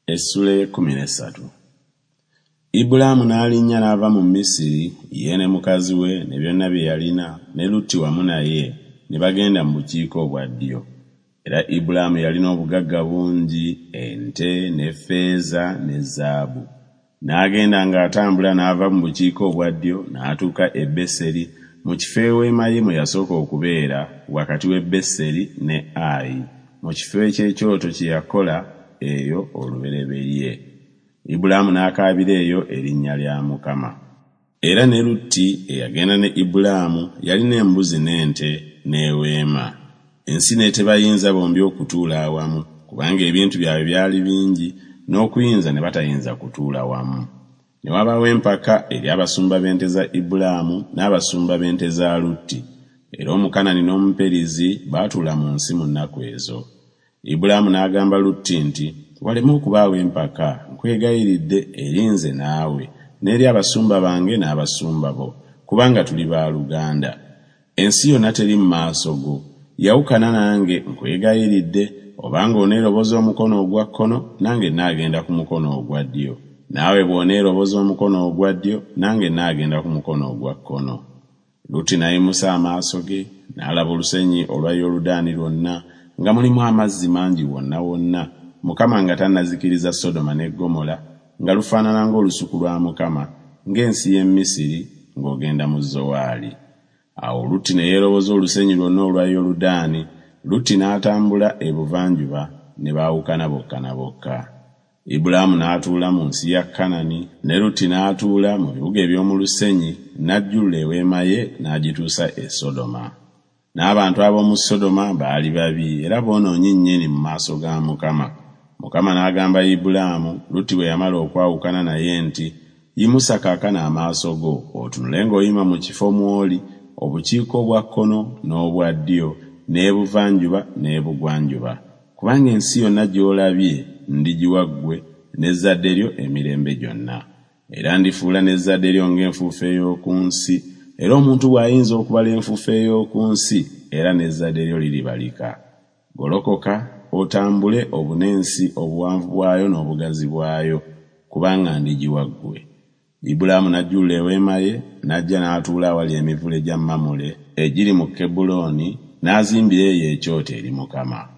Essula ey'ekkumi n'essatu. Ibulaamu n'alinnya n'ava mu Misiri, ye ne mukazi we ne byonna bye yalina, ne Lutti wamu naye, ne bagenda mu bukiika obwa ddyo. Era Ibulaamu yalina obugagga bungi, ente, ne ffeeza, ne zaabu. N'agenda ng'atambula n'ava mu bukiika obwa ddyo n'atuuka e Beseri, mu kifo eweema ye mwe yasooka okubeera, wakati w'e Beseri ne Ayi, mu kifo eky'ekyoto kye yakola eyo olubereberye. Ibulaamu n'akaabira eyo erinnya lya Mukama. Era ne Lutti eyagenda ne Ibulaamu yalina embuzi n'ente n'eweema. Ensi n'etebayinza bombi okutuula awamu, kubanga ebintu byabwe byali bingi, n'okuyinza ne batayinza kutuula wamu. Ne wabaawo empaka eri abasumba b'ente za Ibulaamu n'abasumba b'ente za Lutti. Era Omukanani n'Omuperizi baatuula mu nsi mu nnaku ezo. Ibulaamu n'agamba Lutti nti, Waleme okubaawo empaka, nkwegayiridde, eri nze naawe, n'eri abasumba bange n'abasumba bo, kubanga tuli baaluganda. Ensi yonna teri mu maaso go? Yawukana nange, nkwegayiridde, obanga oneeroboza omukono ogwa kkono, nange nnaagenda ku mukono ogwa ddyo, naawe bw'oneeroboza omukono ogwa ddyo, nange nnaagenda ku mukono ogwa kkono. Lutti n'ayimusa amaaso ge, n'alaba olusenyi olwa Yoludaani lwonna, nga mulimu amazzi mangi wonna wonna, Mukama nga tannazikiriza Sodoma ne Ggomola, nga lufaanana ng'olusuku lwa Mukama, ng'ensi y'e Misiri, ng'ogenda mu Zowaali. Awo Lutti ne yeeroboza olusenyi lwonna olwa Yoludaani, Lutti n'atambula ebuvanjuba, ne baawukana bokka na bokka. Ibulaamu n'atuula mu nsi ya Kanani, ne Lutti n'atuula mu bibuga eby'omu lusenyi, n'ajjulula eweema ye n'agituusa e Sodoma. N'abantu ab'omu Sodoma baali babi era boonoonyi nnyini mu maaso ga Mukama. Mukama n'agamba Ibulaamu, Lutti bwe yamala okwawukana naye nti, Yimusa kaakano amaaso go, otunule ng'oyima mu kifo mw'oli, obukiika obwa kkono n'obwa ddyo, n'ebuvanjuba n'ebugwanjuba, kubanga ensi yonna gy'olabye ndigiwa ggwe n'ezzadde lyo emirembe gyonna. Era ndifuula n'ezzadde lyo ng'enfuufu ey'oku nsi, era omuntu bw'ayinza okubala enfuufu ey'oku nsi, era n'ezzadde lyo liribalika. Golokoka otambule obune ensi obuwanvu bwayo n'obugazi bwayo, kubanga ndigiwa ggwe. Ibulaamu n'ajjulula eweema ye, n'ajja n'atuula awali emivule gya Mamule egiri mu Kebbulooni, n'azimbira eyo ekyoto eri Mukama.